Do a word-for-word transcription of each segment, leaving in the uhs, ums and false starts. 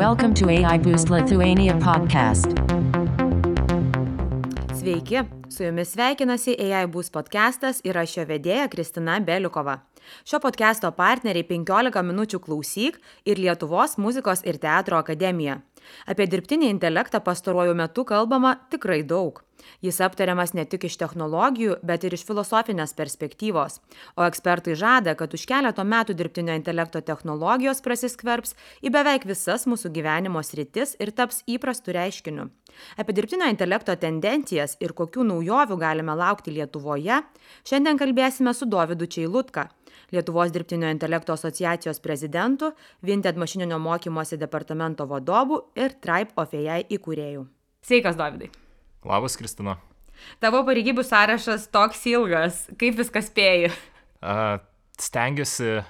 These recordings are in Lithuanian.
Welcome to A I Boost Lithuania podcast. Sveiki, su jumis sveikinasi A I Boost podcastas ir aš jo vedėja Kristina Beliukova. Šio podcasto partneriai penkiolika minučių klausyk ir Lietuvos muzikos ir teatro akademija. Apie dirbtinį intelektą pastaruoju metu kalbama tikrai daug. Jis aptariamas ne tik iš technologijų, bet ir iš filosofinės perspektyvos. O ekspertai žada, kad už keleto metų dirbtinio intelekto technologijos prasiskverbs į beveik visas mūsų gyvenimo sritis ir taps įprastu reiškiniu. Apie dirbtinio intelekto tendencijas ir kokių naujovių galime laukti Lietuvoje, šiandien kalbėsime su Dovydu Čeilutka, Lietuvos dirbtinio intelekto asociacijos prezidentu, Vinted mašininio mokymosi departamento vadovu ir Tribe of A I įkūrėju. Sveikas, Dovydai. Labas, Kristina. Tavo pareigybių sąrašas toks ilgas. Kaip viskas spėji? Uh, stengiuosi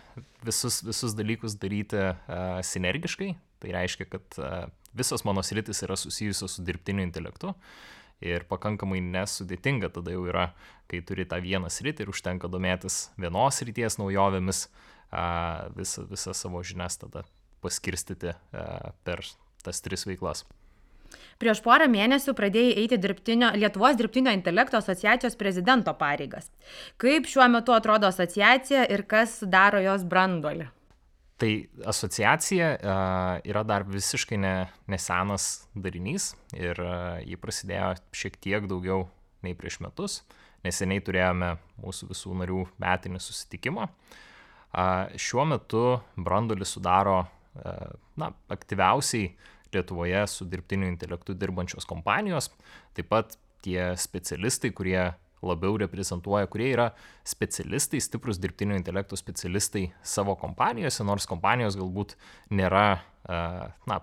visus, visus dalykus daryti uh, sinergiškai. Tai reiškia, kad uh, visos mano sritis yra susijusios su dirbtiniu intelektu. Ir pakankamai nesudėtinga tada jau yra, kai turi tą vieną sritį ir užtenka domėtis vienos srities naujovėmis, uh, visą, visą savo žinias tada paskirstyti uh, per tas tris veiklas. Prieš porą mėnesių pradėjai eiti dirbtinio, Lietuvos dirbtinio intelekto asociacijos prezidento pareigas. Kaip šiuo metu atrodo asociacija ir kas daro jos branduolį? Tai asociacija uh, yra dar visiškai ne, nesenas darinys ir uh, jį prasidėjo šiek tiek daugiau nei prieš metus. Neseniai turėjome mūsų visų narių metinį susitikimą. Uh, šiuo metu branduolį sudaro uh, na, aktyviausiai Lietuvoje su dirbtiniu intelektu dirbančios kompanijos, taip pat tie specialistai, kurie labiau reprezentuoja, kurie yra specialistai, stiprus dirbtinio intelekto specialistai savo kompanijose, nors kompanijos galbūt nėra, na,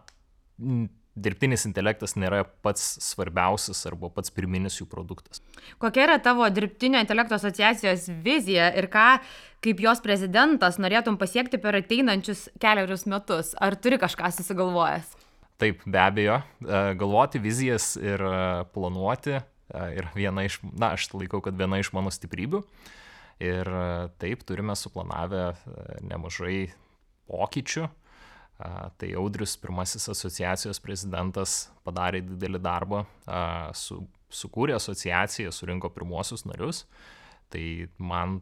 dirbtinis intelektas nėra pats svarbiausias arba pats pirminis jų produktas. Kokia yra tavo dirbtinio intelekto asociacijos vizija ir ką, kaip jos prezidentas, norėtum pasiekti per ateinančius keliarius metus? Ar turi kažką susigalvojęs? Taip, be abejo, galvoti vizijas ir planuoti yra viena iš, na, aš laikau, kad viena iš mano stiprybių. Ir taip, turime suplanavę nemažai pokyčių. Tai Audrius, pirmasis asociacijos prezidentas, padarė didelį darbą, su, sukūrė asociaciją, surinko pirmuosius narius. Tai man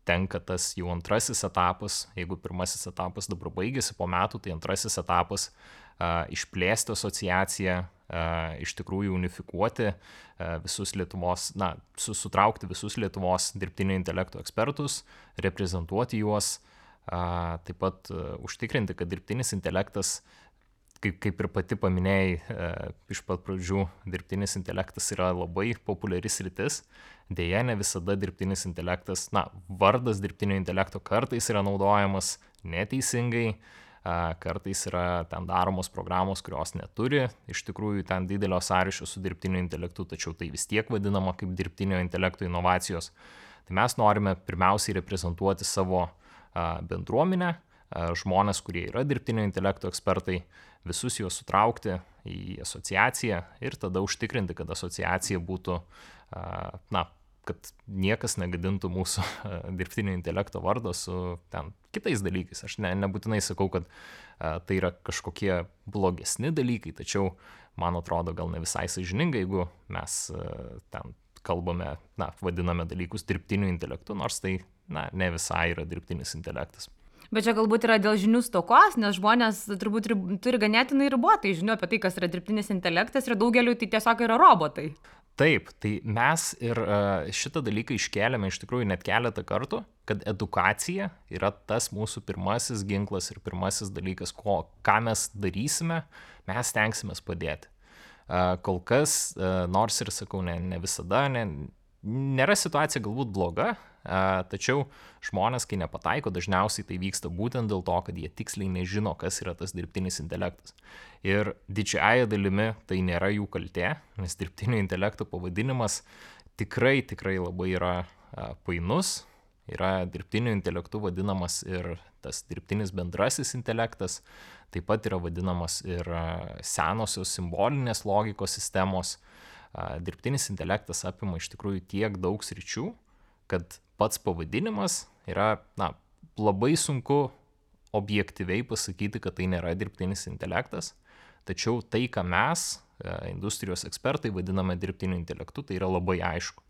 tenka tas jau antrasis etapas, jeigu pirmasis etapas dabar baigėsi po metų, tai antrasis etapas Uh, išplėsti asociaciją, uh, iš tikrųjų unifikuoti uh, visus Lietuvos, na, su, sutraukti visus Lietuvos dirbtinio intelekto ekspertus, reprezentuoti juos, uh, taip pat uh, užtikrinti, kad dirbtinis intelektas, kaip, kaip ir pati paminėjai, uh, iš pat pradžių dirbtinis intelektas yra labai populiari sritis, deja ne visada dirbtinis intelektas, na, vardas dirbtinio intelekto kartais yra naudojamas neteisingai, kartais yra ten daromos programos, kurios neturi iš tikrųjų ten didelio sąryšio su dirbtiniu intelektu, tačiau tai vis tiek vadinama kaip dirbtinio intelekto inovacijos. Tai mes norime pirmiausiai reprezentuoti savo bendruomenę, žmonės, kurie yra dirbtinio intelekto ekspertai, visus juos sutraukti į asociaciją ir tada užtikrinti, kad asociacija būtų, na, kad niekas negadintų mūsų dirbtinio intelekto vardo su ten kitais dalykais. Aš ne, nebūtinai sakau, kad a, tai yra kažkokie blogesni dalykai, tačiau man atrodo gal ne visai sąžininga, jeigu mes a, ten kalbame, na, vadiname dalykus dirbtiniu intelektu, nors tai, na, ne visai yra dirbtinis intelektas. Bet čia galbūt yra dėl žinių stokos, nes žmonės turbūt rib, turi ganėtinai ribotai žinių apie tai, kas yra dirbtinis intelektas ir daugeliu tai tiesiog yra robotai. Taip, tai mes ir šitą dalyką iškėlėme iš tikrųjų net keletą kartų, kad edukacija yra tas mūsų pirmasis ginklas ir pirmasis dalykas, ko, ką mes darysime, mes stengsimės padėti. Kol kas, nors ir sakau, ne, ne visada, ne, nėra situacija galbūt bloga, tačiau žmonės, kai nepataiko, dažniausiai tai vyksta būtent dėl to, kad jie tiksliai nežino, kas yra tas dirbtinis intelektas. Ir didžiąja dalimi tai nėra jų kaltė, nes dirbtinio intelekto pavadinimas tikrai, tikrai labai yra painus. Yra dirbtiniu intelektu vadinamas ir tas dirbtinis bendrasis intelektas, taip pat yra vadinamas ir senosios simbolinės logikos sistemos. Dirbtinis intelektas apima iš tikrųjų tiek daug sričių, kad pats pavadinimas yra, na, labai sunku objektyviai pasakyti, kad tai nėra dirbtinis intelektas. Tačiau tai, ką mes, industrijos ekspertai, vadiname dirbtiniu intelektu, tai yra labai aišku.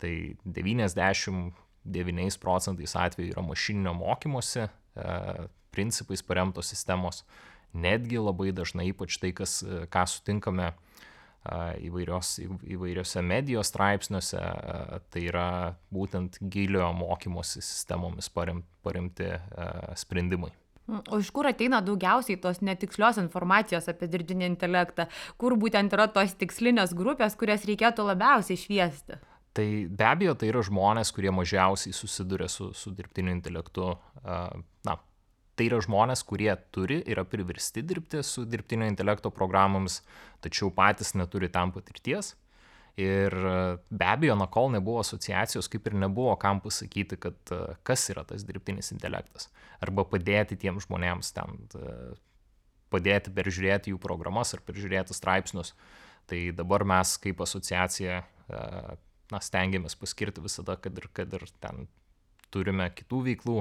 Tai devyniasdešimt devyniais procentais atveju yra mašininio mokymosi e, principais paremtos sistemos. Netgi labai dažnai, ypač tai, kas, ką sutinkame e, įvairios, įvairiose medijos straipsniuose, e, tai yra būtent giliojo mokymosi sistemomis parem, paremti e, sprendimai. O iš kur ateina daugiausiai tos netikslios informacijos apie dirbtinį intelektą? Kur būtent yra tos tikslinės grupės, kurias reikėtų labiausiai šviesti? Tai be abejo, tai yra žmonės, kurie mažiausiai susiduria su, su dirbtiniu intelektu. Na, tai yra žmonės, kurie turi, yra priversti dirbti su dirbtinio intelekto programomis, tačiau patys neturi tam patirties. Ir be abejo, na, kol nebuvo asociacijos, kaip ir nebuvo kam pasakyti, kad kas yra tas dirbtinis intelektas. Arba padėti tiem žmonėms ten, padėti peržiūrėti jų programas ar peržiūrėti straipsnius. Tai dabar mes kaip asociacija na, stengiamės paskirti visada, kad ir, kad ir ten turime kitų veiklų,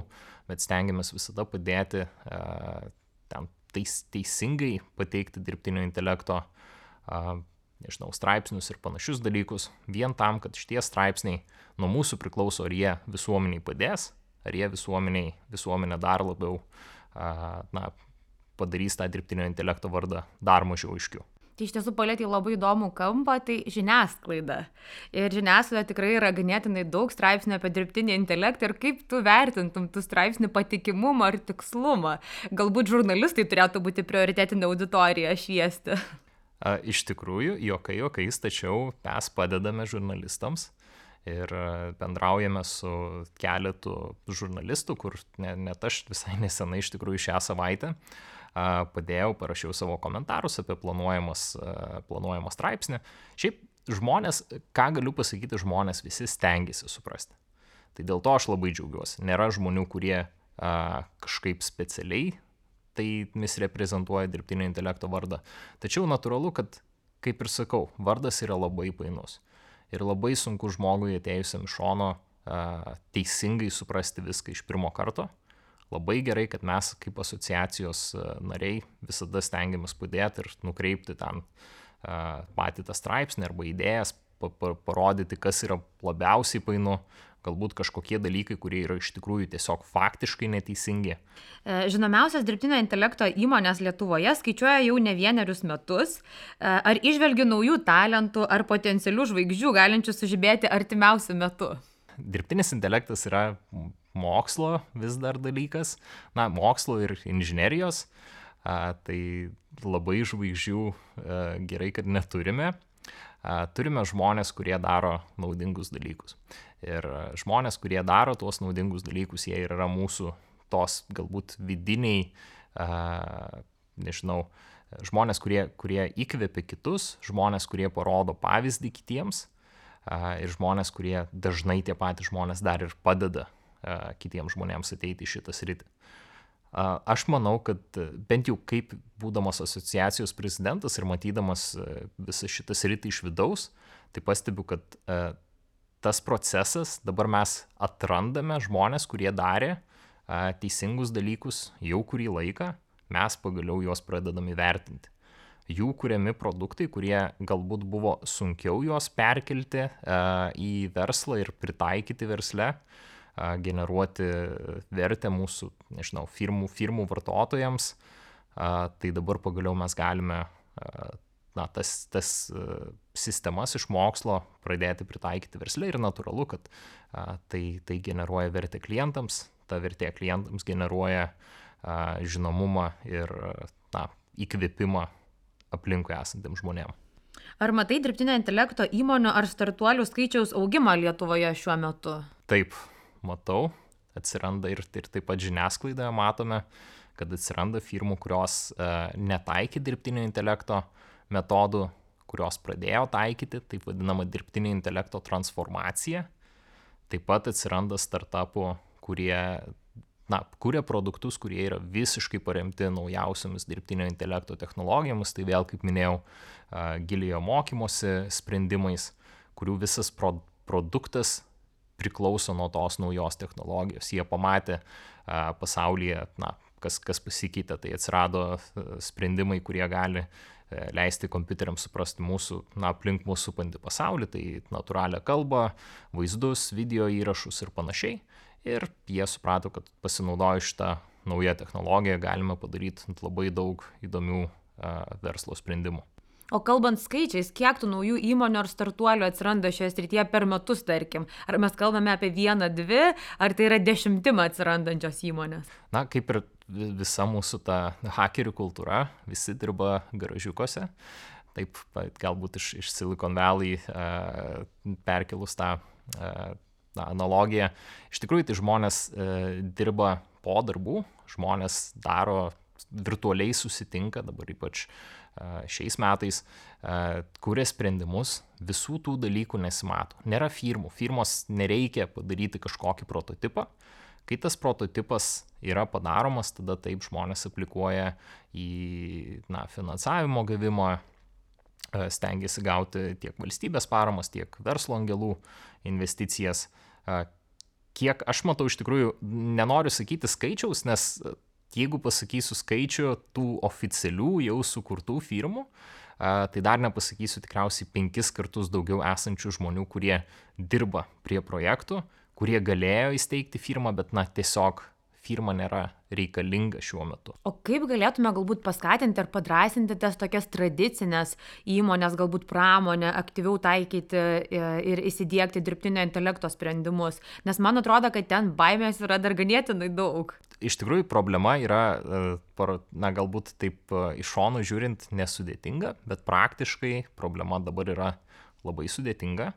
bet stengiamės visada padėti e, ten teis, teisingai pateikti dirbtinio intelekto e, nežinau, straipsnius ir panašius dalykus, vien tam, kad šitie straipsniai nuo mūsų priklauso, ar jie visuomeniai padės, ar jie visuomeniai, visuomenę dar labiau e, na, padarys tą dirbtinio intelekto vardą dar mažiau aiškiau. Tai iš tiesų palėtė labai įdomų kampą, tai žiniasklaida. Ir žiniasklaida tikrai yra ganėtinai daug straipsnių apie dirbtinį intelektą ir kaip tu vertintum tų straipsnių patikimumą ar tikslumą. Galbūt žurnalistai turėtų būti prioritetinė auditorija šviesti. A, iš tikrųjų, jokai, jokais, tačiau mes padedame žurnalistams ir bendraujame su keletu žurnalistų, kur net ne aš visai nesenai iš tikrųjų šią savaitę padėjau, parašiau savo komentarus apie planuojamas, planuojamą straipsnį. Šiaip žmonės, ką galiu pasakyti, žmonės visi stengiasi suprasti. Tai dėl to aš labai džiaugiuosi. Nėra žmonių, kurie a, kažkaip specialiai tai misreprezentuoja dirbtinio intelekto vardą. Tačiau natūralu, kad, kaip ir sakau, vardas yra labai painus. Ir labai sunku žmogui atėjusiam iš šono a, teisingai suprasti viską iš pirmo karto. Labai gerai, kad mes kaip asociacijos nariai visada stengiamės padėti ir nukreipti ten uh, patį tą straipsnį arba idėjas, pa, pa, parodyti, kas yra labiausiai painu, galbūt kažkokie dalykai, kurie yra iš tikrųjų tiesiog faktiškai neteisingi. Žinomiausias dirbtinio intelekto įmonės Lietuvoje skaičiuoja jau ne vienerius metus. Ar įžvelgi naujų talentų ar potencialių žvaigždžių galinčių sužibėti artimiausiu metu? Dirbtinis intelektas yra mokslo vis dar dalykas, na, mokslo ir inžinerijos, a, tai labai žvaigždžių a, gerai, kad neturime. A, turime žmonės, kurie daro naudingus dalykus. Ir žmonės, kurie daro tuos naudingus dalykus, jie yra mūsų tos galbūt vidiniai, a, nežinau, žmonės, kurie, kurie įkvepia kitus, žmonės, kurie parodo pavyzdį kitiems, a, ir žmonės, kurie dažnai tie patys žmonės dar ir padeda kitiems žmonėms ateiti į šitą sritį. Aš manau, kad bent jau kaip būdamas asociacijos prezidentas ir matydamas visą šitą sritį iš vidaus, tai pastebiu, kad tas procesas, dabar mes atrandame žmonės, kurie darė teisingus dalykus jau kurį laiką, mes pagaliau juos pradedam įvertinti. Jų kuriami produktai, kurie galbūt buvo sunkiau juos perkelti į verslą ir pritaikyti versle, generuoti vertę mūsų, nežinau, firmų, firmų vartotojams, tai dabar pagaliau mes galime na, tas, tas sistemas iš mokslo pradėti pritaikyti versle ir natūralu, kad tai, tai generuoja vertę klientams, ta vertė klientams generuoja žinomumą ir na, įkvėpimą aplinkui esantiem žmonėm. Ar matai dirbtinio intelekto įmonių ar startuolių skaičiaus augimą Lietuvoje šiuo metu? Taip, matau, atsiranda ir, ir taip pat žiniasklaidoje matome, kad atsiranda firmų, kurios e, netaikė dirbtinio intelekto metodų, kurios pradėjo taikyti, taip vadinama dirbtinio intelekto transformacija. Taip pat atsiranda startupų, kurie na, kuria produktus, kurie yra visiškai paremti naujausiamis dirbtinio intelekto technologijomis, tai vėl, kaip minėjau, e, giliojo mokymosi sprendimais, kurių visas pro, produktas priklauso nuo tos naujos technologijos. Jie pamatė a, pasaulyje na, kas, kas pasikeitė, tai atsirado sprendimai, kurie gali leisti kompiuteriams suprasti mūsų, na, aplink mūsų supantį pasaulį, tai natūralią kalbą, vaizdus, video įrašus ir panašiai. Ir jie suprato, kad pasinaudoję šitą naują technologiją galime padaryti labai daug įdomių uh, verslo sprendimų. O kalbant skaičiais, kiek tų naujų įmonių ar startuolių atsiranda šioje srityje per metus, tarkim? Ar mes kalbame apie vieną, dvi, ar tai yra dešimtimą atsirandančios įmonės? Na, kaip ir visa mūsų ta hakerių kultūra, visi dirba garažiukuose. Taip, galbūt iš, iš Silicon Valley uh, perkelus tą uh, na, analogiją. Iš tikrųjų, tai žmonės uh, dirba po darbų, žmonės daro, virtualiai susitinka, dabar ypač uh, šiais metais, uh, kuria sprendimus, visų tų dalykų nesimato. Nėra firmų, firmos nereikia padaryti kažkokį prototipą. Kai tas prototipas yra padaromas, tada taip žmonės aplikuoja į na, finansavimo gavimą, stengiasi gauti tiek valstybės paramas, tiek verslo angelų investicijas. Kiek aš matau, iš tikrųjų, nenoriu sakyti skaičiaus, nes jeigu pasakysiu skaičių tų oficialių jau sukurtų firmų, tai dar nepasakysiu tikriausiai penkis kartus daugiau esančių žmonių, kurie dirba prie projektų, kurie galėjo įsteigti firmą, bet na, tiesiog firma nėra reikalinga šiuo metu. O kaip galėtume galbūt paskatinti ar padrasinti tas tokias tradicinės įmonės, galbūt pramonę, aktyviau taikyti ir įsidiegti dirbtinio intelekto sprendimus? Nes man atrodo, kad ten baimės yra dar ganėtinai daug. Iš tikrųjų, problema yra, na, galbūt taip iš šono žiūrint nesudėtinga, bet praktiškai problema dabar yra labai sudėtinga.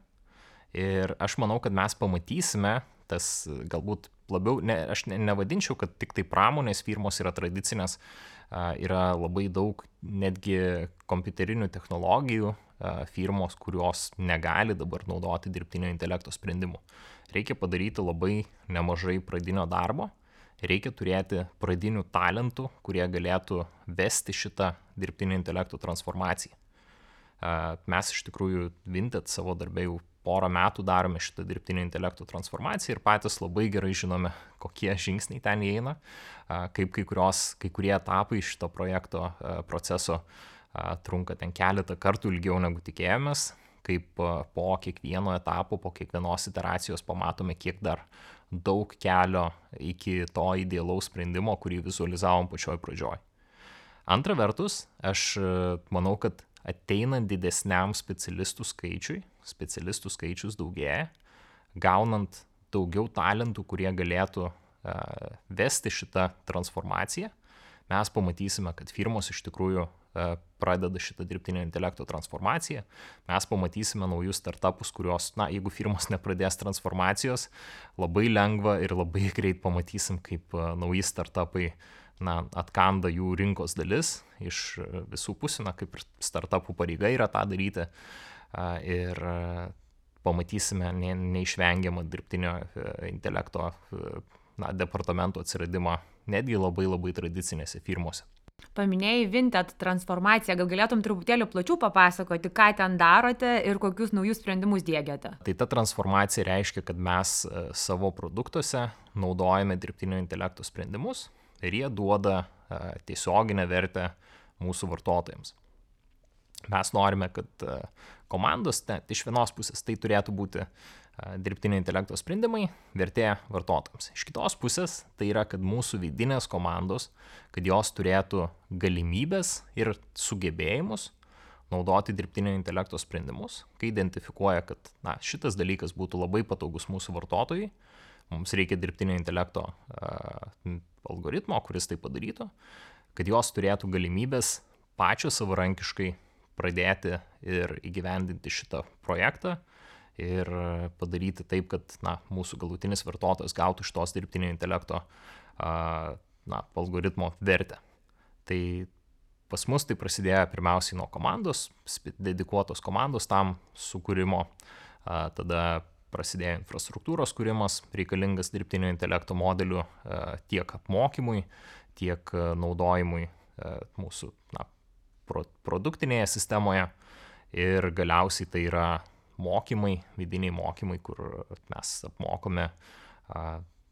Ir aš manau, kad mes pamatysime tas galbūt labiau, ne, aš ne, nevadinčiau, kad tik tai pramonės firmos yra tradicinės, yra labai daug netgi kompiuterinių technologijų firmos, kurios negali dabar naudoti dirbtinio intelekto sprendimų. Reikia padaryti labai nemažai pradinio darbo, reikia turėti pradinių talentų, kurie galėtų vesti šitą dirbtinio intelekto transformaciją. Mes iš tikrųjų Vinted savo darbę jau porą metų darome šitą dirbtinio intelekto transformaciją ir patys labai gerai žinome, kokie žingsniai ten įeina, kaip kai, kurios, kai kurie etapai šito projekto proceso trunka ten keletą kartų ilgiau negu tikėjomės, kaip po kiekvieno etapo, po kiekvienos iteracijos pamatome, kiek dar daug kelio iki to idealaus sprendimo, kurį vizualizavom pačioj pradžioj. Antra vertus, aš manau, kad ateinant didesniam specialistų skaičiui, specialistų skaičius daugėja, gaunant daugiau talentų, kurie galėtų uh, vesti šitą transformaciją, mes pamatysime, kad firmos iš tikrųjų uh, pradeda šitą dirbtinio intelekto transformaciją, mes pamatysime naujus startupus, kurios, na, jeigu firmos nepradės transformacijos, labai lengva ir labai greit pamatysim, kaip uh, nauji startupai na, atkanda jų rinkos dalis iš visų pusių, na, kaip ir startupų pareiga yra tą daryti ir pamatysime ne, neišvengiamą dirbtinio intelekto na, departamento atsiradimą netgi labai labai tradicinėse firmose. Paminėjai Vinted transformaciją, gal galėtum truputėlį plačiau papasakoti, ką ten darote ir kokius naujus sprendimus diegiate? Tai ta transformacija reiškia, kad mes savo produktuose naudojame dirbtinio intelekto sprendimus, ir jie duoda uh, tiesioginę vertę mūsų vartotojams. Mes norime, kad uh, komandos, ne, iš vienos pusės tai turėtų būti uh, dirbtinio intelekto sprendimai, vertė vartotojams. Iš kitos pusės tai yra, kad mūsų vidinės komandos, kad jos turėtų galimybės ir sugebėjimus naudoti dirbtinio intelekto sprendimus, kai identifikuoja, kad na, šitas dalykas būtų labai patogus mūsų vartotojai, mums reikia dirbtinio intelekto uh, algoritmo, kuris tai padarytų, kad jos turėtų galimybės pačios savarankiškai pradėti ir įgyvendinti šitą projektą ir padaryti taip, kad na, mūsų galutinis vartotojas gautų šitos dirbtinio intelekto uh, na, algoritmo vertę. Tai pas mus tai prasidėjo pirmiausiai nuo komandos, dedikuotos komandos tam sukūrimo, uh, tada prasidėjo infrastruktūros kūrimas, reikalingas dirbtinio intelekto modelių tiek apmokymui, tiek naudojimui mūsų na, produktinėje sistemoje ir galiausiai tai yra mokymai, vidiniai mokymai, kur mes apmokome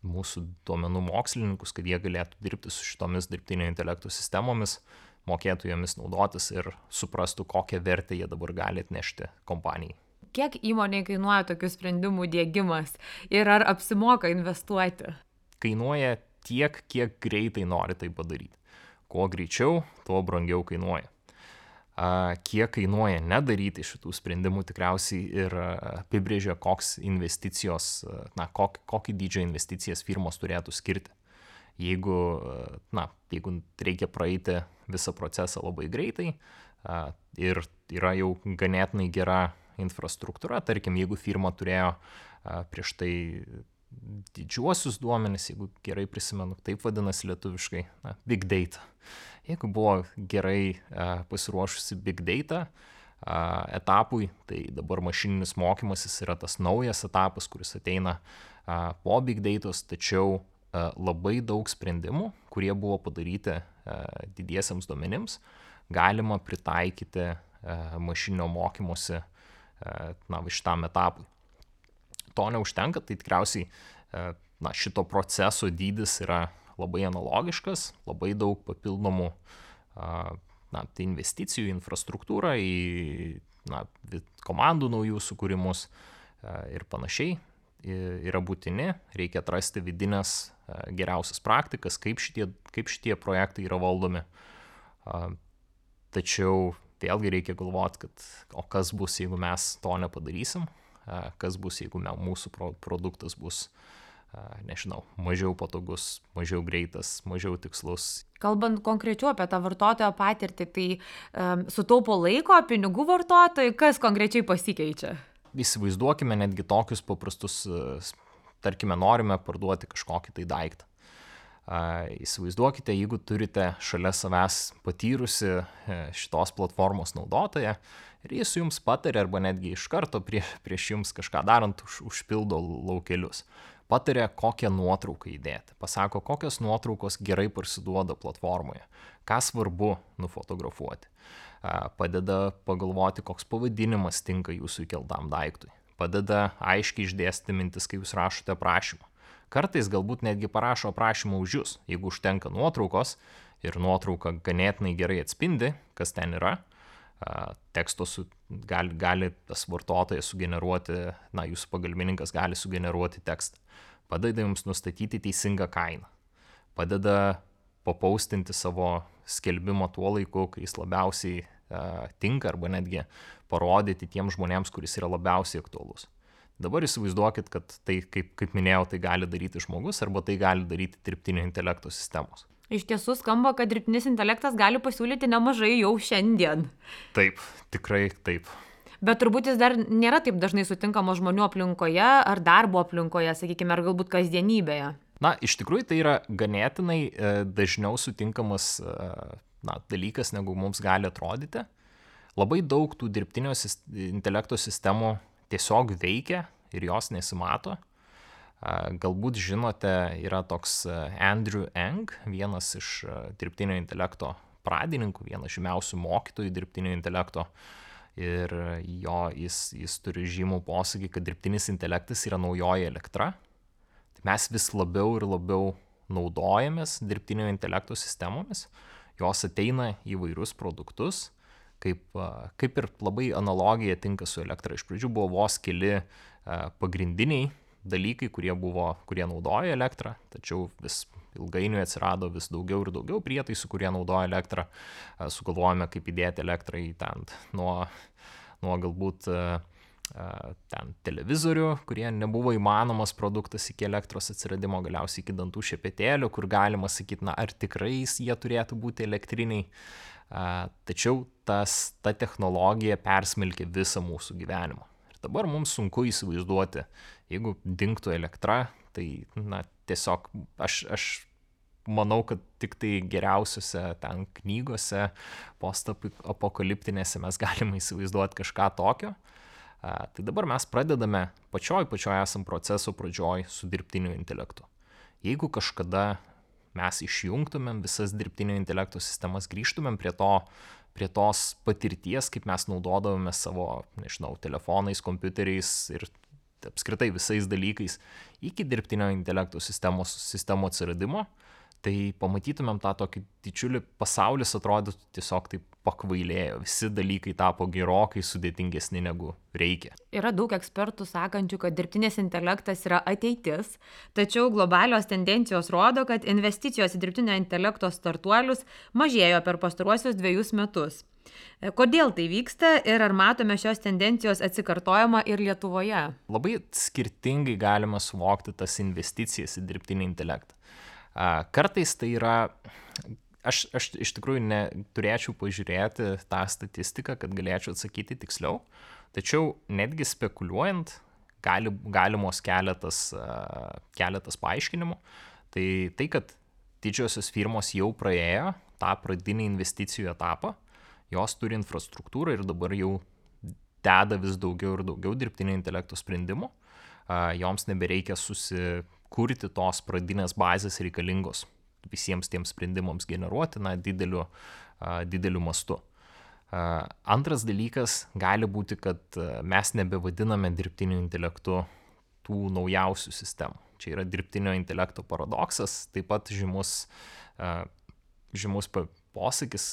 mūsų duomenų mokslininkus, kad jie galėtų dirbti su šitomis dirbtinio intelekto sistemomis, mokėtų jomis naudotis ir suprastų, kokią vertę jie dabar gali atnešti kompanijai. Kiek įmonei kainuoja tokių sprendimų diegimas ir ar apsimoka investuoti? Kainuoja tiek, kiek greitai nori tai padaryti. Kuo greičiau, tuo brangiau kainuoja. Kiek kainuoja nedaryti šitų sprendimų, tikriausiai ir apibrėžia, koks investicijos, na, kok, kokį dydžio investicijas firmos turėtų skirti. Jeigu, na, jeigu reikia praeiti visą procesą labai greitai ir yra jau ganėtinai gera infrastruktūra, tarkim, jeigu firma turėjo prieš tai didžiuosius duomenis, jeigu gerai prisimenu, taip vadinasi lietuviškai, na, big data. Jeigu buvo gerai uh, pasiruošusi big data uh, etapui, tai dabar mašininis mokymasis yra tas naujas etapas, kuris ateina uh, po big datos, tačiau uh, labai daug sprendimų, kurie buvo padaryti uh, didiesiams duomenims, galima pritaikyti uh, mašininio mokymosi uh, na, šitam etapui. To neužtenka, tai tikriausiai uh, na, šito proceso dydis yra labai analogiškas, labai daug papildomų na, tai investicijų į infrastruktūrą, į na, komandų naujų sukūrimus ir panašiai yra būtini. Reikia atrasti vidinės geriausias praktikas, kaip šitie, kaip šitie projektai yra valdomi. Tačiau vėlgi reikia galvoti, kad o kas bus, jeigu mes to nepadarysim, kas bus, jeigu mūsų produktas bus nežinau, mažiau patogus, mažiau greitas, mažiau tikslus. Kalbant konkrečiau apie tą vartotojo patirtį, tai um, sutaupo laiko, pinigų vartotojai, kas konkrečiai pasikeičia? Įsivaizduokime netgi tokius paprastus, tarkime, norime parduoti kažkokį tai daiktą. Įsivaizduokite, jeigu turite šalia savęs patyrusi šitos platformos naudotoją ir jis jums patarė arba netgi iš karto prie, prieš jums kažką darant už, užpildo laukelius. Patarė, kokią nuotrauką įdėti, pasako, kokios nuotraukos gerai parsiduoda platformoje, ką svarbu nufotografuoti, padeda pagalvoti, koks pavadinimas tinka jūsų įkeltam daiktui, padeda aiškiai išdėstyti mintis, kai jūs rašote aprašymą. Kartais galbūt netgi parašo aprašymą už jūs, jeigu užtenka nuotraukos ir nuotrauka ganėtinai gerai atspindi, kas ten yra, teksto su, gali, gali tas vartotojas sugeneruoti, na, jūsų pagalbininkas gali sugeneruoti tekstą. Padeda jums nustatyti teisingą kainą. Padeda papaustinti savo skelbimą tuo laiku, kai jis labiausiai uh, tinka, arba netgi parodyti tiems žmonėms, kuris yra labiausiai aktualus. Dabar įsivaizduokit, kad tai, kaip, kaip minėjau, tai gali daryti žmogus, arba tai gali daryti dirbtinio intelekto sistemos. Iš tiesų skamba, kad dirbtinis intelektas gali pasiūlyti nemažai jau šiandien. Taip, tikrai taip. Bet turbūt jis dar nėra taip dažnai sutinkamos žmonių aplinkoje ar darbo aplinkoje, sakykime, ar galbūt kasdienybėje. Na, iš tikrųjų tai yra ganėtinai e, dažniau sutinkamas e, na, dalykas, negu mums gali atrodyti. Labai daug tų dirbtinio intelekto sistemų tiesiog veikia ir jos nesimato. Galbūt žinote, yra toks Andrew Ng, vienas iš dirbtinio intelekto pradininkų, vienas žymiausių mokytojų dirbtinio intelekto. Ir jo, jis, jis turi žymų posakį, kad dirbtinis intelektas yra naujoji elektra. Tai mes vis labiau ir labiau naudojamės dirbtinio intelekto sistemomis. Jos ateina į vairius produktus, kaip, kaip ir labai analogija tinka su elektra. Iš pradžių buvo vos keli pagrindiniai dalykai, kurie, buvo, kurie naudoja elektrą, tačiau vis ilgainiui atsirado vis daugiau ir daugiau prietaisų, kurie naudoja elektrą. Sugalvojame, kaip įdėti elektrą į ten nuo, nuo galbūt ten televizorių, kurie nebuvo įmanomas produktas iki elektros atsiradimo, galiausiai iki dantų šepetėlių, kur galima sakyti, na, ar tikrai jie turėtų būti elektriniai. Tačiau tas, ta technologija persmelkė visą mūsų gyvenimą. Dabar mums sunku įsivaizduoti, jeigu dingtų elektra, tai na, tiesiog aš, aš manau, kad tik tai geriausiose ten knygose, postapokaliptinėse mes galime įsivaizduoti kažką tokio. A, tai dabar mes pradedame pačioj, pačioj esam proceso pradžioj su dirbtiniu intelektu. Jeigu kažkada mes išjungtumėm visas dirbtinio intelekto sistemas, grįžtumėm prie to, prie tos patirties, kaip mes naudodavome savo, nežinau, telefonais, kompiuteriais ir vystyti, apskritai visais dalykais iki dirbtinio intelekto sistemos, sistemo atsiradimo, tai pamatytumėm tą tokį didžiulį pasaulis atrodytų tiesiog taip pakvailėjo. Visi dalykai tapo gerokai sudėtingesni negu reikia. Yra daug ekspertų sakančių, kad dirbtinis intelektas yra ateitis, tačiau globalios tendencijos rodo, kad investicijos į dirbtinio intelekto startuolius mažėjo per pastaruosius dviejus metus. Kodėl tai vyksta ir ar matome šios tendencijos atsikartojimą ir Lietuvoje? Labai skirtingai galima suvokti tas investicijas į dirbtinį intelektą. Kartais tai yra, aš, aš iš tikrųjų neturėčiau pažiūrėti tą statistiką, kad galėčiau atsakyti tiksliau, tačiau netgi spekuliuojant gali, galimos keletas, keletas paaiškinimų. Tai tai, kad didžiosios firmos jau praėjo tą pradinį investicijų etapą, jos turi infrastruktūrą ir dabar jau deda vis daugiau ir daugiau dirbtinio intelekto sprendimų, joms nebereikia susikurti tos pradinės bazės reikalingos visiems tiems sprendimams generuoti, na, dideliu, dideliu mastu. Antras dalykas gali būti, kad mes nebevadiname dirbtiniu intelektu tų naujausių sistemų. Čia yra dirbtinio intelekto paradoksas, taip pat žymus, žymus posakis,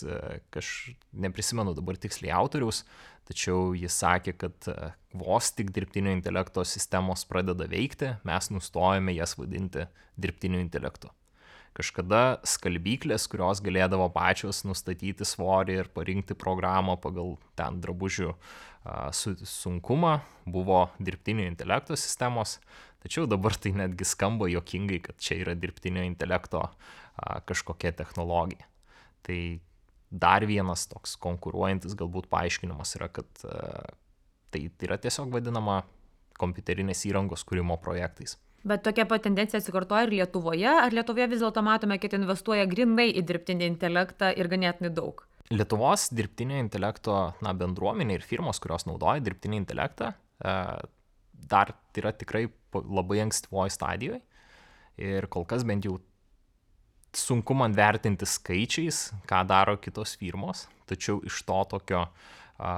aš neprisimenu dabar tiksliai autoriaus, tačiau jis sakė, kad vos tik dirbtinio intelekto sistemos pradeda veikti, mes nustojame jas vadinti dirbtiniu intelektu. Kažkada skalbyklės, kurios galėdavo pačios nustatyti svorį ir parinkti programą pagal ten drabužių sunkumą, buvo dirbtinio intelekto sistemos, tačiau dabar tai netgi skamba juokingai, kad čia yra dirbtinio intelekto kažkokia technologija. Tai dar vienas toks konkuruojantis galbūt paaiškinimas yra, kad tai, tai yra tiesiog vadinama kompiuterinės įrangos kūrimo projektais. Bet tokia pat tendencija atsikartoja ir Lietuvoje, ar Lietuvoje vis dėlto matome, kad investuoja grinai į dirbtinį intelektą ir ganėtinai daug? Lietuvos dirbtinio intelekto na, bendruomenė ir firmos, kurios naudoja dirbtinį intelektą, dar yra tikrai labai ankstyvoje stadijoje ir kol kas bent jau sunku man vertinti skaičiais, ką daro kitos firmos, tačiau iš to tokio a,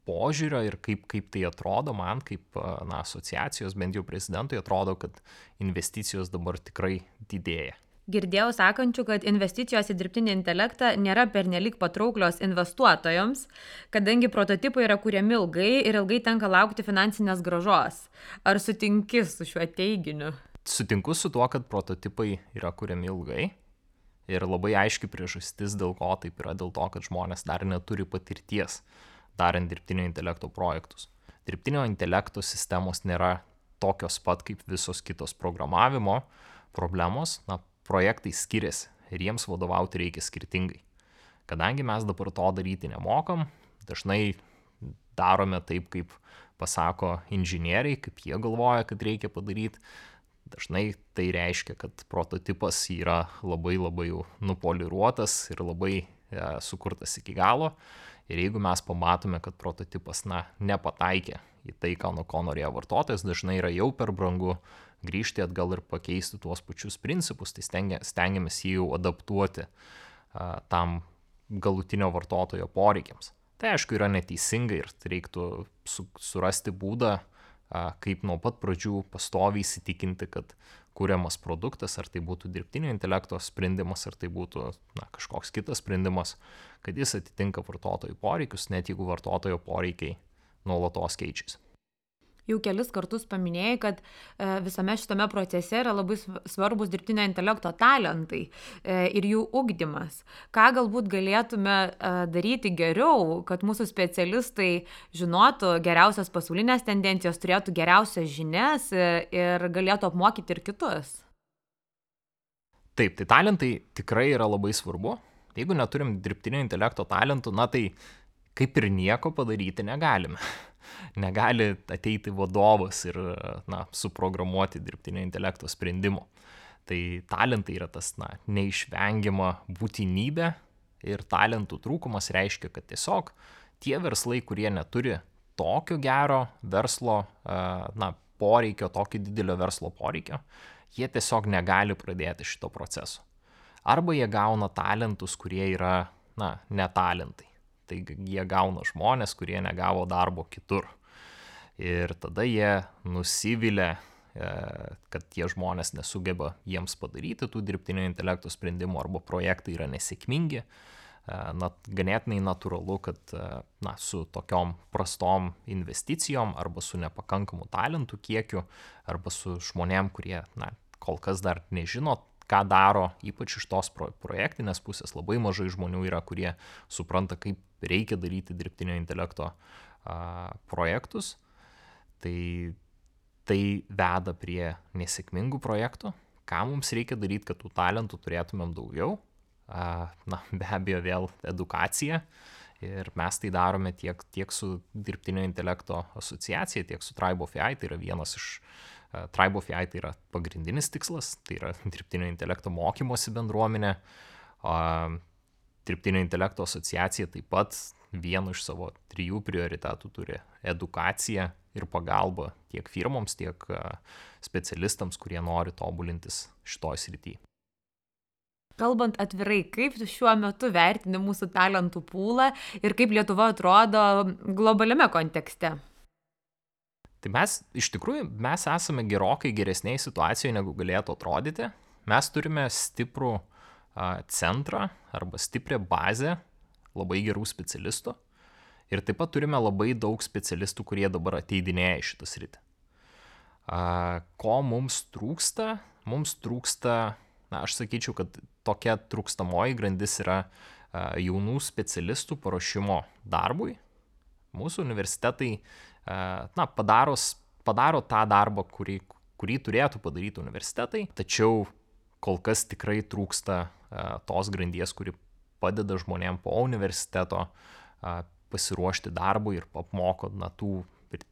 požiūrio ir kaip, kaip tai atrodo man, kaip na, asociacijos, bent jau prezidentui atrodo, kad investicijos dabar tikrai didėja. Girdėjau sakančių, kad investicijos į dirbtinį intelektą nėra pernelyg patrauklios investuotojams, kadangi prototipai yra kuriami ilgai ir ilgai tenka laukti finansinės grąžos. Ar sutinki su šiuo teiginiu? Sutinku su tuo, kad prototipai yra kuriami ilgai ir labai aiški priežastis, dėl ko taip yra, dėl to, kad žmonės dar neturi patirties darant dirbtinio intelekto projektus. Dirbtinio intelekto sistemos nėra tokios pat kaip visos kitos programavimo problemos, na, projektai skiriasi ir jiems vadovauti reikia skirtingai. Kadangi mes dabar to daryti nemokam, dažnai darome taip, kaip pasako inžinieriai, kaip jie galvoja, kad reikia padaryti. Dažnai tai reiškia, kad prototipas yra labai labai jau nupoliruotas ir labai e, sukurtas iki galo. Ir jeigu mes pamatome, kad prototipas na, nepataikė į tai, ką nuo ko norėjo vartotojas, dažnai yra jau per brangu grįžti atgal ir pakeisti tuos pačius principus, tai stengiamės jį jau adaptuoti a, tam galutinio vartotojo poreikiams. Tai aišku yra neteisinga ir reiktų su, surasti būdą, kaip nuo pat pradžių pastoviai įsitikinti, kad kuriamas produktas, ar tai būtų dirbtinio intelekto sprendimas, ar tai būtų na, kažkoks kitas sprendimas, kad jis atitinka vartotojų poreikius, net jeigu vartotojo poreikiai nuolatos keičiasi. Jau kelis kartus paminėjai, kad visame šitame procese yra labai svarbus dirbtinio intelekto talentai ir jų ugdymas. Ką galbūt galėtume daryti geriau, kad mūsų specialistai žinotų geriausias pasaulinės tendencijas, turėtų geriausias žinias ir galėtų apmokyti ir kitus? Taip, tai talentai tikrai yra labai svarbu. Jeigu neturim dirbtinio intelekto talentų, na tai kaip ir nieko padaryti negalime. Negali ateiti vadovas ir na, suprogramuoti dirbtinio intelekto sprendimų. Tai talentai yra tas na, neišvengiama būtinybė ir talentų trūkumas reiškia, kad tiesiog tie verslai, kurie neturi tokio gero verslo na, poreikio, tokio didelio verslo poreikio, jie tiesiog negali pradėti šito proceso. Arba jie gauna talentus, kurie yra na, netalentai. Tai jie gauna žmonės, kurie negavo darbo kitur. Ir tada jie nusivylė, kad tie žmonės nesugeba jiems padaryti tų dirbtinio intelekto sprendimų arba projektai yra nesėkmingi. Na, ganėtinai natūralu, kad na, su tokiom prastom investicijom arba su nepakankamu talentų kiekiu arba su žmonėm, kurie na, kol kas dar nežino, ką daro, ypač iš tos pro- projektinės pusės. Labai mažai žmonių yra, kurie supranta, kaip reikia daryti dirbtinio intelekto a, projektus. Tai tai veda prie nesėkmingų projektų. Ką mums reikia daryti, kad tų talentų turėtumėm daugiau? Na, be abejo, vėl edukacija. Ir mes tai darome tiek, tiek su dirbtinio intelekto asociacija, tiek su Tribe of A I. Tai yra vienas iš uh, Tribe of A I, tai yra pagrindinis tikslas, tai yra dirbtinio intelekto mokymosi bendruomenė. Uh, dirbtinio intelekto asociacija taip pat vienu iš savo trijų prioritetų turi edukaciją ir pagalbą tiek firmoms, tiek specialistams, kurie nori tobulintis šitoj srity. Kalbant atvirai, kaip tu šiuo metu vertini mūsų talentų pūlą ir kaip Lietuva atrodo globaliame kontekste? Tai mes, iš tikrųjų, mes esame gerokai geresnėje situacijoje, negu galėtų atrodyti. Mes turime stiprų a, centrą arba stiprią bazę labai gerų specialistų. Ir taip pat turime labai daug specialistų, kurie dabar ateidinėja į šitą sritį. Ko mums trūksta? Mums trūksta, na, aš sakyčiau, kad tokia trūkstamoji grandis yra jaunų specialistų paruošimo darbui. Mūsų universitetai, na, padaros, padaro tą darbą, kurį, kurį turėtų padaryti universitetai, tačiau kol kas tikrai trūksta tos grandies, kuri padeda žmonėm po universiteto pasiruošti darbui ir apmoko na, tų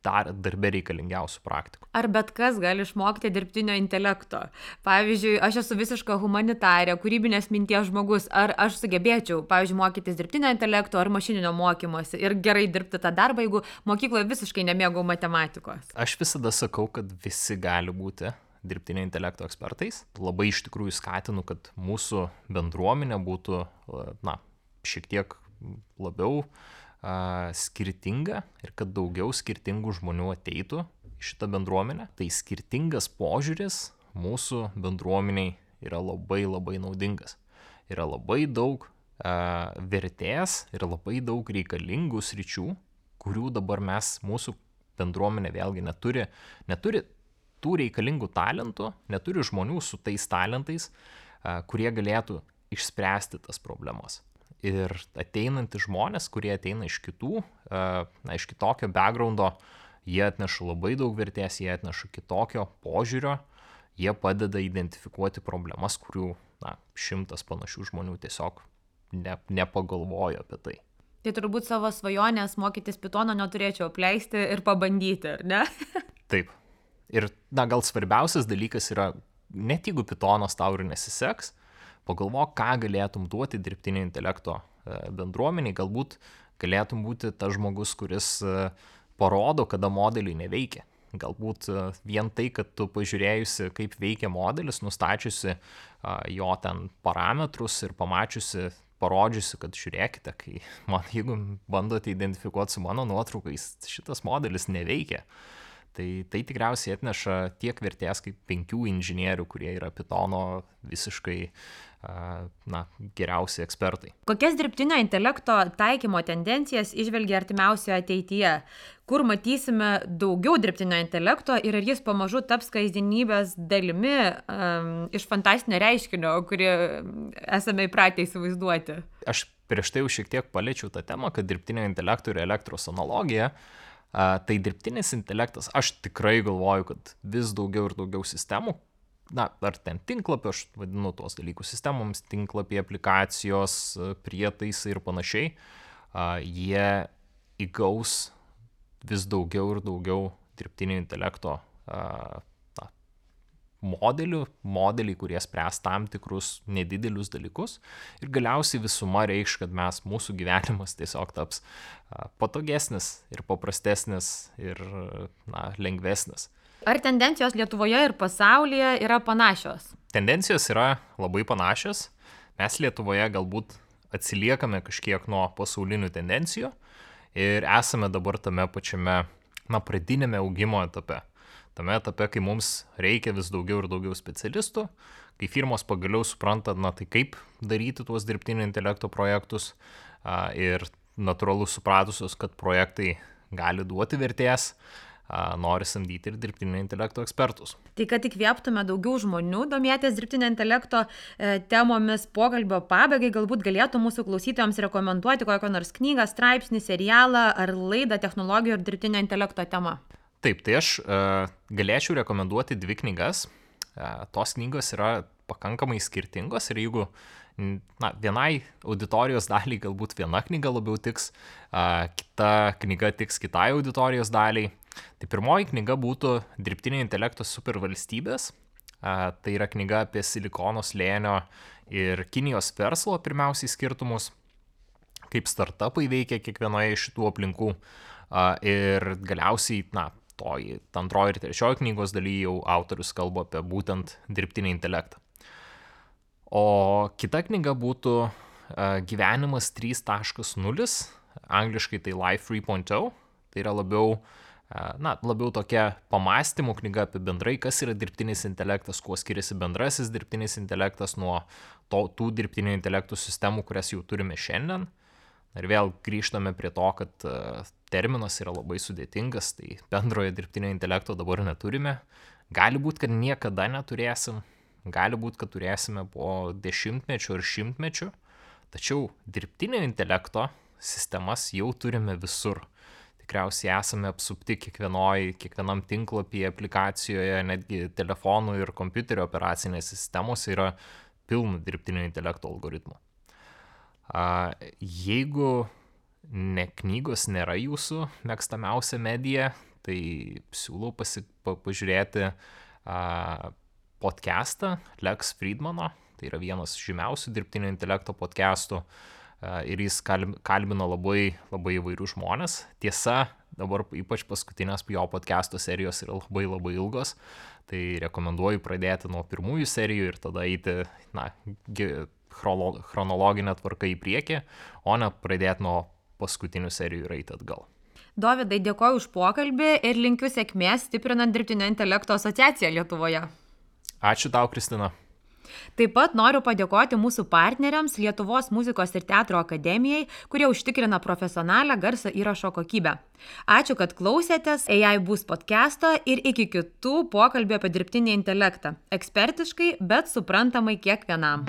darbe reikalingiausių praktikų. Ar bet kas gali išmokti dirbtinio intelekto? Pavyzdžiui, aš esu visiška humanitarė, kūrybinės minties žmogus. Ar aš sugebėčiau, pavyzdžiui, mokytis dirbtinio intelekto ar mašininio mokymosi ir gerai dirbti tą darbą, jeigu mokykloje visiškai nemėgau matematikos? Aš visada sakau, kad visi gali būti dirbtinio intelekto ekspertais. Labai iš tikrųjų skatinu, kad mūsų bendruomenė būtų na, šiek tiek labiau uh, skirtinga ir kad daugiau skirtingų žmonių ateitų į šitą bendruomenę. Tai skirtingas požiūris mūsų bendruomeniai yra labai labai naudingas. Yra labai daug uh, vertės ir labai daug reikalingų sričių, kurių dabar mes, mūsų bendruomenė vėlgi neturi, neturi tų reikalingų talentų, neturi žmonių su tais talentais, kurie galėtų išspręsti tas problemas. Ir ateinantys žmonės, kurie ateina iš kitų, na, iš kitokio backgroundo, jie atneša labai daug vertės, jie atneša kitokio požiūrio, jie padeda identifikuoti problemas, kurių na, šimtas panašių žmonių tiesiog ne, nepagalvojo apie tai. Tai turbūt savo svajonės mokytis Pythono neturėčiau apleisti ir pabandyti, ar ne? Taip. Ir, na, gal svarbiausias dalykas yra, net jeigu Pythonas tau ir nesiseks, pagalvok, ką galėtum duoti dirbtinio intelekto bendruomeniai, galbūt galėtum būti tas žmogus, kuris parodo, kada modeliai neveikia. Galbūt vien tai, kad tu pažiūrėjusi, kaip veikia modelis, nustačiusi jo ten parametrus ir pamačiusi, parodžiusi, kad žiūrėkite, kai man, jeigu bandote identifikuoti su mano nuotraukais, šitas modelis neveikia. Tai, tai tikriausiai atneša tiek vertės kaip penkių inžinierių, kurie yra Pythono visiškai na, geriausi ekspertai. Kokias dirbtinio intelekto taikymo tendencijas įžvelgia artimiausioje ateityje? Kur matysime daugiau dirbtinio intelekto ir ar jis pamažu taps kasdienybės dalimi um, iš fantastinio reiškinio, kurį esame įpratę įsivaizduoti? Aš prieš tai jau šiek tiek paliečiau tą temą, kad dirbtinio intelekto ir elektros analogija. Uh, tai dirbtinis intelektas, aš tikrai galvoju, kad vis daugiau ir daugiau sistemų, na, ar ten tinklapio, aš vadinu tuos dalykus sistemoms, tinklapiai, aplikacijos, prietaisai ir panašiai, uh, jie įgaus vis daugiau ir daugiau dirbtinio intelekto uh, na, modelių, modeliai, kurie spręs tam tikrus nedidelius dalykus ir galiausiai visuma reikš, kad mes, mūsų gyvenimas tiesiog taps patogesnis ir paprastesnis ir na, lengvesnis. Ar tendencijos Lietuvoje ir pasaulyje yra panašios? Tendencijos yra labai panašios. Mes Lietuvoje galbūt atsiliekame kažkiek nuo pasaulinių tendencijų ir esame dabar tame pačiame na, pradinėme augimo etape. Tame etape, kai mums reikia vis daugiau ir daugiau specialistų, kai firmos pagaliau supranta, na, tai kaip daryti tuos dirbtinio intelekto projektus a, ir natūralu supratusios, kad projektai gali duoti vertės, a, nori samdyti ir dirbtinio intelekto ekspertus. Tai kad įkvėptume daugiau žmonių domėtis dirbtinio intelekto e, temomis, pokalbio pabaigai galbūt galėtų mūsų klausytojams rekomenduoti kokią nors knygą, straipsnį, serialą ar laidą technologijų ir dirbtinio intelekto tema. Taip, tai aš e, galėčiau rekomenduoti dvi knygas. E, tos knygos yra pakankamai skirtingos ir jeigu na, vienai auditorijos daliai galbūt viena knyga labiau tiks, a, kita knyga tiks kitai auditorijos daliai. Tai pirmoji knyga būtų Dirbtinio intelekto supervalstybės. A, tai yra knyga apie Silikono slėnio ir Kinijos verslo pirmiausiai skirtumus, kaip startupai veikia kiekvienoje iš šitų aplinkų. A, ir galiausiai, na, toj antroji ir trečioji knygos dalyje jau autorius kalba apie būtent dirbtinį intelektą. O kita knyga būtų uh, Gyvenimas trys taškas nulis, angliškai tai Life trys punkt nulį, tai yra labiau, uh, na, labiau tokia pamastymų knyga apie bendrai, kas yra dirbtinis intelektas, kuo skiriasi bendrasis dirbtinis intelektas nuo to, tų dirbtinio intelektų sistemų, kurias jau turime šiandien. Ir vėl grįžtame prie to, kad uh, terminas yra labai sudėtingas, tai bendrojo dirbtinio intelekto dabar neturime. Gali būti, kad niekada neturėsim. Gali būti, kad turėsime po dešimtmečių ir šimtmečių, tačiau dirbtinio intelekto sistemas jau turime visur. Tikriausiai esame apsupti kiekvienoj, kiekvienam tinklapyje, aplikacijoje, netgi telefonų ir kompiuterio operacinės sistemos yra pilna dirbtinio intelekto algoritmų. Jeigu ne knygos nėra jūsų mėgstamiausia medija, tai siūlau pasi, pa, pažiūrėti a, podcastą Lex Fridmano, tai yra vienas žymiausių dirbtinio intelekto podcastų ir jis kalbino labai, labai įvairių žmonės. Tiesa, dabar ypač paskutinės jo podcasto serijos yra labai labai ilgos, tai rekomenduoju pradėti nuo pirmųjų serijų ir tada eiti, na, chronologinę tvarką į priekį, o ne pradėti nuo paskutinių serijų ir eiti atgal. Dovydai, dėkoju už pokalbį ir linkiu sėkmės stiprinant dirbtinio intelekto asociaciją Lietuvoje. Ačiū tau, Kristina. Taip pat noriu padėkoti mūsų partneriams Lietuvos muzikos ir teatro akademijai, kurie užtikrina profesionalią garso įrašo kokybę. Ačiū, kad klausėtės A I Boost podcast'o ir iki kitų pokalbių apie dirbtinį intelektą. Ekspertiškai, bet suprantamai kiekvienam.